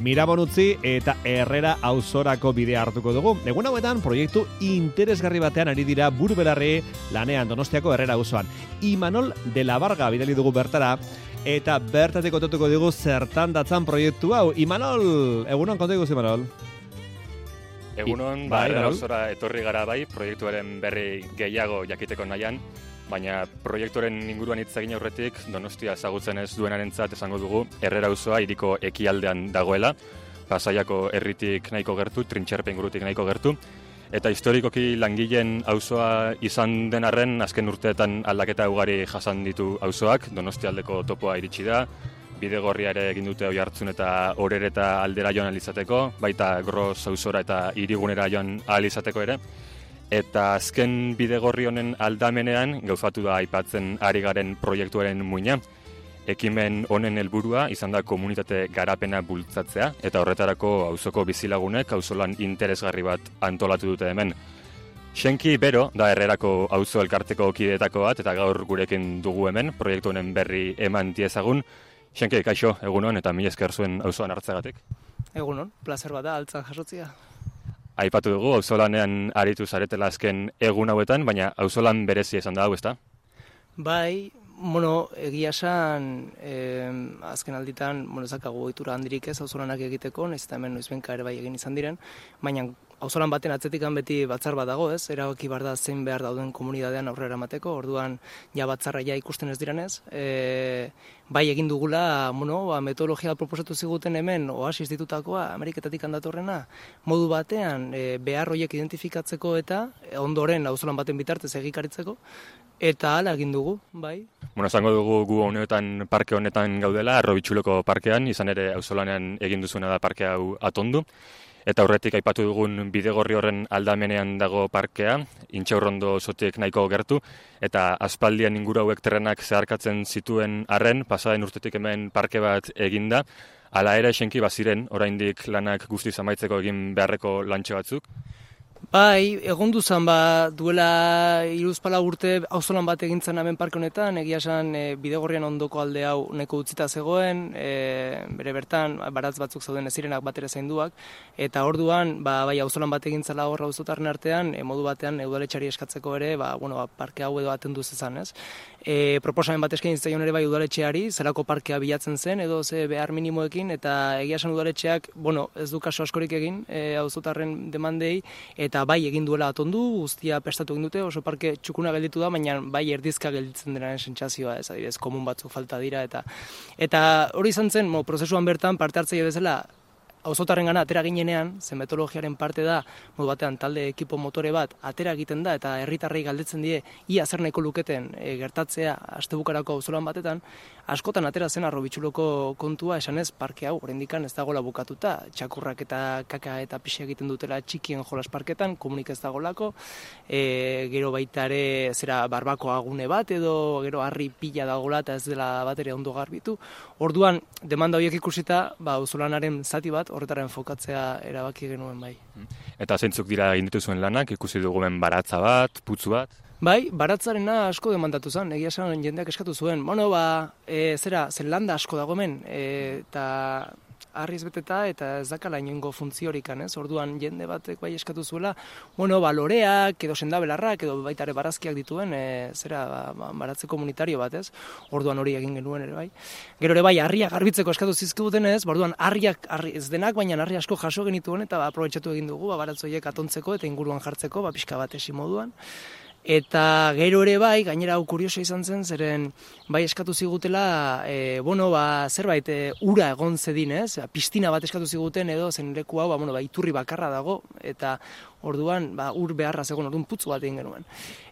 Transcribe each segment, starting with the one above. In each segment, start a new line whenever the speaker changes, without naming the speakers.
Mirabon utzi eta Herrera auzorako bidea hartuko dugu. Egun hauetan proiektu interesgarri batean ari dira buru-belarri lanean Donostiako Herrera auzoan. Imanol de la Varga bidali dugu bertara eta bertatik kontatuko dugu zertan datzan proiektu hau. Imanol, egunon konta iguzi, Imanol?
Egunon, Herrera auzora etorri gara bai, proiektuaren berri gehiago jakiteko nahian, baina proiektuaren inguruan hitz egin aurretik Donostia ezagutzen ez duenarentzat esango dugu Herrera auzoa hiriko ekialdean dagoela, Pasaiako herritik nahiko gertu, Trintxerpe ingurutik nahiko gertu, eta historikoki langileen auzoa izan den arren azken urteetan aldaketa ugari jasan ditu auzoak, Donostialdeko topoa iritsi da, Bidegorria ere egin dute Oiartzun eta Orereta aldera joan ahal izateko, baita Gros auzora eta hirigunera joan ahal izateko ere. Eta azken Bidegorri honen aldamenean gauzatu da aipatzen ari garen proiektuaren muina. Ekimen honen helburua izan da komunitate garapena bultzatzea eta horretarako auzoko bizilagunek auzolan interesgarri bat antolatu dute hemen. Xenki Bero da Herrerako auzo elkarteko kideetako bat eta gaur gurekin dugu hemen proiektu honen berri eman diezagun. Xenki, kaixo, egunon eta mila esker zuen auzoan hartzeagatik.
Egunon, plazer bat da altzan jasotzea.
Aipatu dugu, auzolanean aritu zaretela azken egun hauetan, baina auzolan berezia izan da hau, ezta?
Bai, egia esan, azken alditan, ezakagu ohitura handirik ez auzolanak egiteko, nahiz eta hemen noizbenka ere bai egin izan diren, baina auzolan baten atzetikan beti batzar bat dago, ez? Erabaki behar da zein behar dauden komunitatean aurrera emateko, orduan ja batzarra ja ikusten ez direnez, bai egin dugula, metodologia proposatu ziguten hemen Oasis ditutakoa, Ameriketatik handatorrena, modu batean behar horiek identifikatzeko eta ondoren auzolan baten bitartez egikaritzeko, eta hala egin dugu, bai.
Esango dugu gu honetan parke honetan gaudela, Arrobitxuloko parkean, izan ere auzolanean egin duzuena da parke hau atondu. Eta aurretik aipatu dugun Bidegorri horren aldamenean dago parkea, Intxaurrondo zotik nahiko gertu, eta aspaldian inguru hauek terrenak zeharkatzen zituen arren, pasaden urtetik hemen parke bat eginda, hala ere Xenki baziren, oraindik lanak guztiz amaitzeko egin beharreko lantxe batzuk.
Bai, egondu zan duela 3-4 urte auzolan bat egintzen hemen parke honetan, egia esan Bidegorrian ondoko alde hau neko utzita zegoen, bere bertan baratz batzuk zauden ez zirenak bat ere zainduak, eta orduan bai auzolan bat egintzala hor auzotarren artean, modu batean udaletxeari eskatzeko ere, parke hau edo atendu zezan, ez? Proposamen bat eskaini zitzaion ere bai udaletxeari, zelako parkea bilatzen zen, edo ze behar minimoekin, eta egia esan udaletxeak, ez du kaso askorik egin auzotarren demandei, eta bai egin duela atondu, guztia prestatu egin dute, oso parke txukuna gelditu da, baina bai erdizka gelditzen denaren sentsazioa, ez adibidez, komun batzuk falta dira, eta hori izan zen, prozesuan bertan parte hartzaile bezala, auzotarrengana atera ginenean, zen metodologiaren parte da, modu batean talde ekipo motore bat atera egiten da eta herritarrei galdetzen die ia zer nahiko luketen gertatzea astebukarako auzolan batetan, askotan atera zen Arrobitxuloko kontua esanez parke hau oraindikan ez dagoela bukatuta, txakurrak eta kaka eta pixa egiten dutela txikien jolas parketan, komunik ez dagolako, gero baita ere zera barbakoa gune bat edo gero harri pila dagoela eta ez dela bat ere ondo garbitu. Orduan demanda horiek ikusita, auzolanaren zati bat horretara enfokatzea erabaki genuen bai.
Eta zeintzuk dira egin dituzuen lanak, ikusi dugumen baratza bat, putzu bat?
Bai, baratzarena asko demandatu zen, egia esan jendeak eskatu zuen. Zen landa asko dago hemen, eta harriz beteta eta ez dakala inongo funtziorik, ez? Orduan jende batek bai eskatu zuela, loreak, edo sendabelarrak, edo baita ere barazkiak dituen, baratze komunitario bat, ez? Orduan hori egin genuen ere bai. Gero ere bai, harriak garbitzeko eskatu zizkibuten ez, orduan harriak ez denak, baina harri asko jaso genituen eta aprobetxatu egin dugu, baratzoiek atontzeko eta inguruan jartzeko, pixka bat esi moduan. Eta gero ere bai, gainera hau kurioso izan zen, zeren bai eskatu zigutela, zerbait ura egon zedin, ez? Pistina bat eskatu ziguten edo zen leku hau, iturri bakarra dago, eta orduan ur beharra zegoen, orduan putzu bat egin genuen.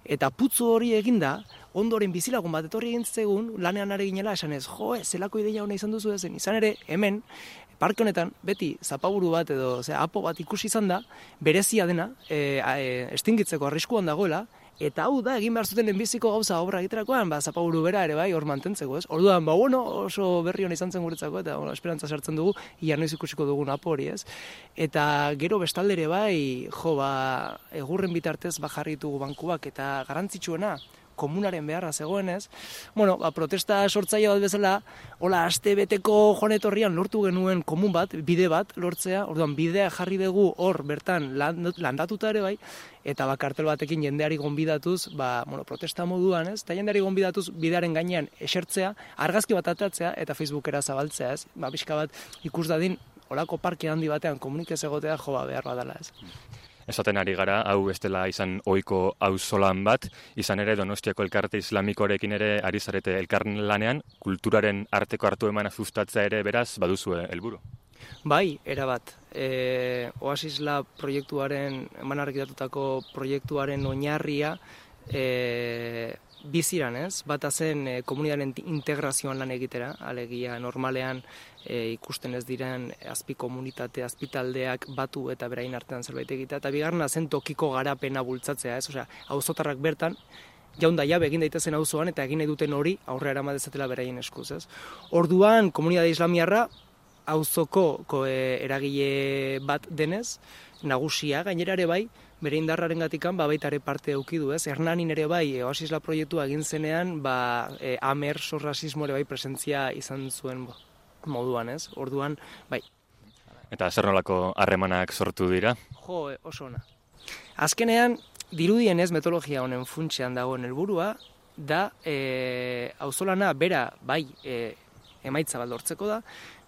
Eta putzu hori eginda, ondoren bizilagun bat etorri egin zegun, lanean are ginela esan ez, zelako ideia hona izan duzu ezen, izan ere, hemen, parke honetan, beti zapaburu bat edo apo bat ikusi izan da, berezia dena, estingitzeko arriskuan dagoela, eta hau da, egin behar zuten lehenbiziko gauza obra egiterakoan, zapaburu bera ere bai, hor mantentzeko, ez? Orduan, oso berri hona izan zen guretzako, eta esperantza sartzen dugu, ia noiz ikusiko dugun apo hori, ez? Eta gero bestaldere bai, egurren bitartez jarri ditugu bankuak, eta garrantzitsuena, komunaren beharra zegoenez, bueno, protesta sortzaile bat bezala, hola aste beteko joan etorrian lortu genuen komun bat, bide bat lortzea, orduan bidea jarri dugu hor bertan landatuta ere bai, eta kartel batekin jendeari gonbidatuz, protesta moduan, ez? Eta jendeari gonbidatuz bidearen gainean esertzea, argazki bat atatzea eta Facebookera zabaltzea, ez? Pixka bat ikus dadin olako parke handi batean komunikez egotea behar badala, ez?
Esaten ari gara, hau ez dela izan ohiko auzolan bat, izan ere Donostiako elkarte islamikorekin ere ari zarete elkarlanean, kulturaren arteko hartu emana sustatzea ere beraz baduzue helburu.
Bai, erabat. Oasisla proiektuaren, eman argitatutako proiektuaren oinarria biziran, ez? Bata zen komunitatearen integrazioan lan egitera, alegia normalean ikusten ez diren azpi komunitate, azpi taldeak batu eta berain artean zerbait egitea, eta bigarrena zen tokiko garapena bultzatzea, ez? Osea, auzotarrak bertan jaunda jabe egin daitezen auzoan eta egin nahi duten hori aurrera eraman dezatela beraien eskuz, ez? Orduan, komunitate islamiarra auzoko eragile bat denez, nagusia gainera ere bai, bere indarraren gatikan, baita ere parte edukidu, ez? Hernanin ere bai, Oasisla proiektua egin zenean, Amer sorrasismo ere bai presentzia izan zuen moduan, ez? Orduan, bai.
Eta zer nolako harremanak sortu dira?
Jo, oso ona. Azkenean, dirudienez metodologia honen funtsean dagoen helburua da auzolana bera bai emaitza bat lortzeko da,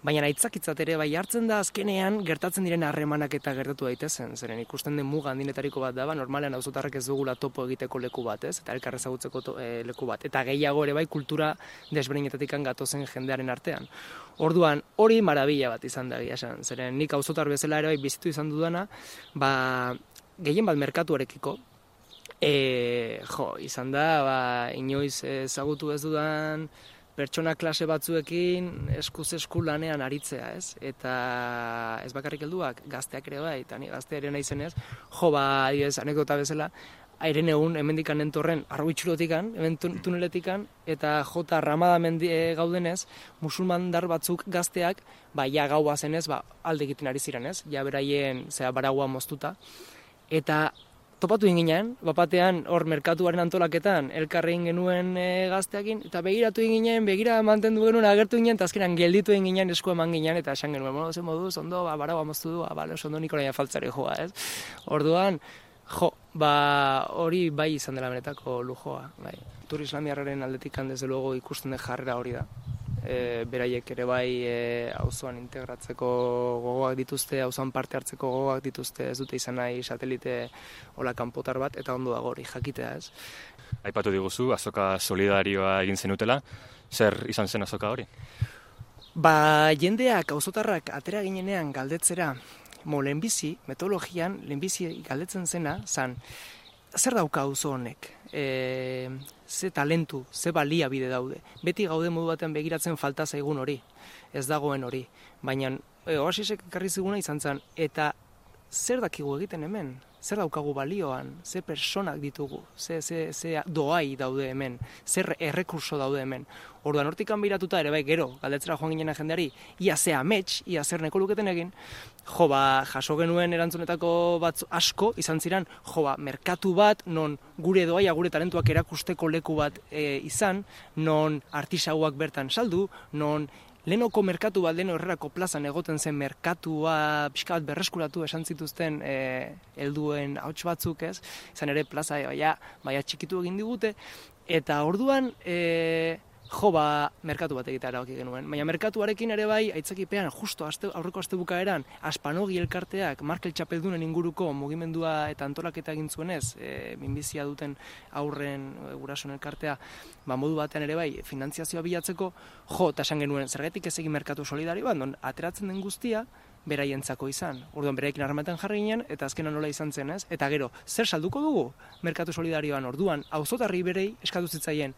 baina aitzakitzat ere bai hartzen da azkenean gertatzen diren harremanak eta gertatu daitezen, zeren ikusten den muga handinetariko bat da, normalean auzotarrek ez dugula topo egiteko leku bat, ez? Eta elkar ezagutzeko leku bat. Eta gehiago ere bai kultura desberdinetatik gatozen jendearen artean. Orduan, hori marabila bat izan da esan, zeren nik auzotar bezala ere bai bizitu izan dudana, gehien bat merkatuarekiko, izan da, inoiz ezagutu ez dudan pertsona klase batzuekin eskuz esku lanean aritzea, ez? Eta ez bakarrik helduak, gazteak ere bai, eta ni gaztea ere naizenez, anekdota bezala, airen egun hemendikan entorren Arruitxurotikan, hemen tuneletikan, eta jota Ramada gaudenez, musulmandar batzuk gazteak, ja gaua zenez, alde egiten ari ziren, ez? Ja beraien, baragua moztuta. Eta topatu ginen, bapatean hor merkatuaren antolaketan elkarrein genuen gazteakin, eta begiratu ginen, begira mantendu genuen, agertu ginen, eta azkenan gelditu ginen, esku eman ginen, eta esan genuen, zen moduz, ondo, baragua moztu du, ondo nik orain faltzari joa, ez? Orduan, hori bai izan dela benetako lujoa, bai. Tur islamiarraren aldetik desde luego ikusten den jarrera hori da. Beraiek ere bai auzoan integratzeko gogoak dituzte, auzoan parte hartzeko gogoak dituzte, ez dute izan nahi satelite hola kanpotar bat, eta ondo dago hori jakitea, ez?
Aipatu diguzu, azoka solidarioa egin zenutela, zer izan zen azoka hori?
Jendeak, auzotarrak atera ginenean galdetzera, lehenbizi, metodologian, lehenbizi galdetzen zena, zer dauka auzo honek? Ze talentu, ze baliabide daude. Beti gaude modu batean begiratzen falta zaigun hori, ez dagoen hori. Baina Oasisek ekarri ziguna izan zen, eta zer dakigu egiten hemen? Zer daukagu balioan? Ze personak ditugu? Ze doai daude hemen? Zer errekurso daude hemen? Orduan hortikan behiratuta ere bai gero, galdetzera joan ginen jendeari, ia ze amets, ia zer neko luketen egin, jaso genuen erantzunetako batzu asko izan ziren, merkatu bat, non gure doaia, gure talentuak erakusteko leku bat izan, non artisauak bertan saldu, non lehenoko merkatu bat, leheno herrerako plazan egoten zen merkatua pixka bat berreskuratu esan zituzten helduen ahots batzuk, ez? Izan ere plaza baia txikitu egin digute, eta orduan merkatu bat egitea erabaki genuen. Baina merkatuarekin ere bai, aitzakipean, justo aurreko astebukaeran, Aspanogi elkarteak, Markel Txapeldunen inguruko mugimendua eta antolaketa egin zuenez, minbizia duten aurren gurasoen elkartea, modu batean ere bai, finantziazioa bilatzeko, eta esan genuen, zergatik ez egin merkatu solidario bat, non ateratzen den guztia, beraientzako izan. Orduan beraikin harrematen jarri ginen, eta azkenan nola izan zen, ez? Eta gero, zer salduko dugu merkatu solidarioan? Orduan, auzotarri berei eskatu zitzaien,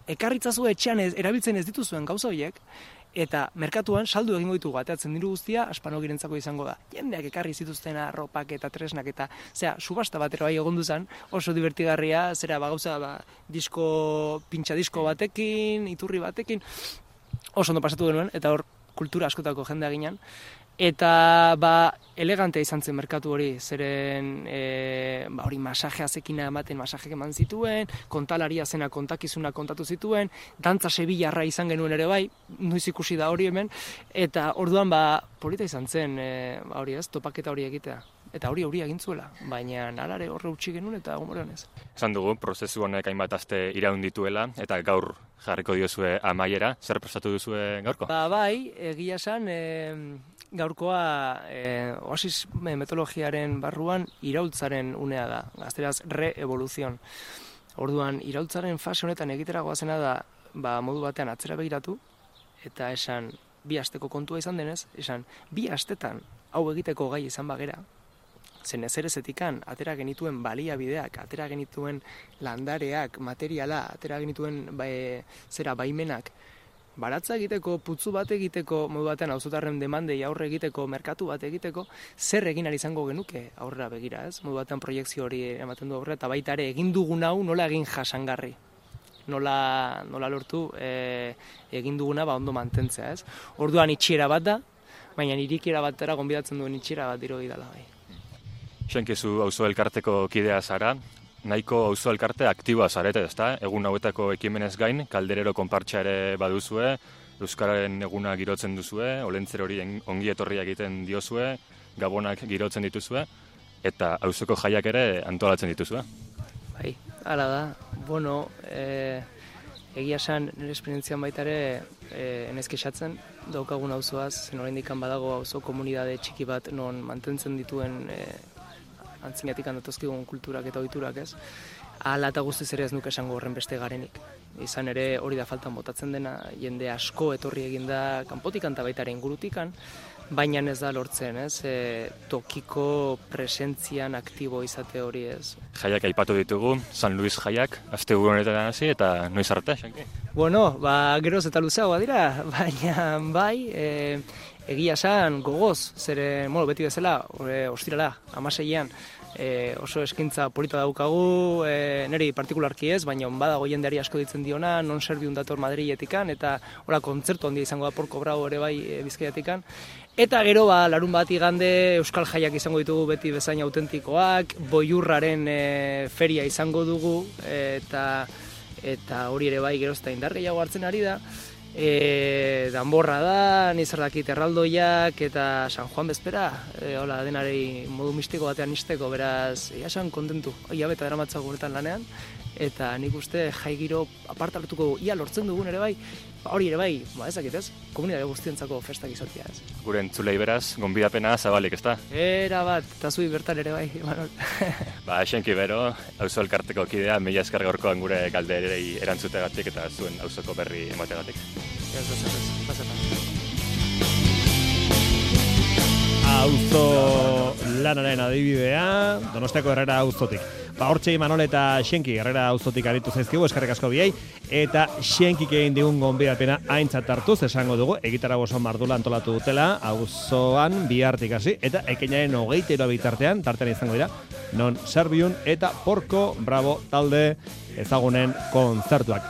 ekarritzazu etxean erabiltzen ez dituzuen gauza horiek, eta merkatuan saldu egingo ditugu, ateatzen diru guztia, Aspanogirentzako izango da. Jendeak ekarri zituzten arropak eta tresnak eta, subasta batero bai egondu zen, oso divertigarria, gauza, pintxa disko batekin, iturri batekin, oso ondo pasatu genuen, eta hor kultura askotako jendea ginen, Eta elegante izan zen merkatu hori, zeren hori masajea zekina ematen masajek eman zituen, kontalaria zena kontakizuna kontatu zituen, dantza sebillarra izan genuen ere bai, noiz ikusi da hori hemen, eta orduan polita izan zen, hori ez, topaketa hori egitea. Eta hori egin zuela, baina alare horre utzi genuen eta gomorean ez.
Esan dugu, prozesu honek hainbat aste iraun dituela, eta gaur jarriko diozue amaiera, zer prestatu duzue gaurko?
Bai, egia esan, gaurkoa oasis metodologiaren barruan iraultzaren unea da, gazteraz re-evoluzion. Orduan, iraultzaren fase honetan egiteragoa zena da, modu batean atzera begiratu, eta esan, 2 asteko kontua izan denez, esan, 2 astetan hau egiteko gai izan bagera, zen ezerezetikan, atera genituen baliabideak, atera genituen landareak, materiala, atera genituen baimenak, baratza egiteko, putzu bat egiteko, modu batean auzotarren demandei aurre egiteko, merkatu bat egiteko, zer egin ari izango genuke aurrera begira, ez? Modu batean proiektzio hori ematen du aurrera, eta baita ere egin dugun hau nola egin jasangarri. Nola lortu egin duguna ondo mantentzea, ez? Orduan itxiera bat da, baina irikiera batera gonbidatzen duen itxiera bat dirudi dela bai.
Xenkizu auzo elkarteko kidea zara, nahiko auzo elkarte aktiboa zarete, ezta? Egun hauetako ekimenez gain, kalderero konpartsa ere baduzue, Euskararen eguna girotzen duzue, olentzer hori ongi etorria egiten diozue, gabonak girotzen dituzue, eta auzoko jaiak ere antolatzen dituzue.
Bai, hala da. Bueno, egia esan nire esperientzian baita ere enez kexatzen daukagun auzoaz, zen oraindik badago auzo komunitate txiki bat non mantentzen dituen antzinatik datoskigun kulturak eta ohiturak, ez? Hala eta guztiz ere ez nuke esango horren beste garenik. Izan ere hori da faltan botatzen dena, jende asko etorri eginda kanpotikan eta baita ere ingurutikan, baina ez da lortzen, ez? Tokiko presentzian aktibo izate hori, ez?
Jaiak aipatu ditugu, San Luis jaiak, asteburu honetan hasi eta noiz arte, Xenki?
Bueno, geroz eta luzeagoa dira, baina bai, egia esan gogoz, beti bezala, ostirala, 16an, oso eskaintza polita daukagu, niri partikularki ez, baina badago jendeari asko ditzen diona, non serbiun dator Madriletikan, eta kontzertu handia izango da Porko Bravo ere bai Bizkaiatikan. Eta gero larun bat igande Euskal Jaiak izango ditugu beti bezain autentikoak, Boiurraren feria izango dugu, eta hori ere bai geroz eta indar gehiago hartzen ari da. Danborra da, nizardakit erraldoiak eta San Juan bezpera, hola denari modu mistiko batean nisteko, beraz, esan kontentu, beta daramatzago guretan lanean, eta nik uste jai giro apartartuko ia lortzen dugun ere bai, hori ere bai, ezakit ez, komunitate guztientzako festak izatea ez.
Gure entzulei beraz, gonbidapena zabalik, ezta?
Era bat, eta zui bertan ere bai, Imanol.
Xenki bero, auzo elkarteko kidea, mila esker gaurkoan gure galderei erantzutegatik eta zuen auzoko berri emategatik.
Ez pasetan.
Auzo lanaren adibidea, Donostiako Herrera auzotik. Hortxe Imanol eta Xenki Herrera auzotik aritu zaizkigu, eskerrik asko biei, eta Xenkik egin digun gonbidapena aintzat hartuz, esango dugu, egitarago oso mardula antolatu dutela, auzoan bihartik hasi, eta ekainaren 23 bitartean, tartean izango dira, non Serbiun eta Porko Bravo talde ezagunen kontzertuak.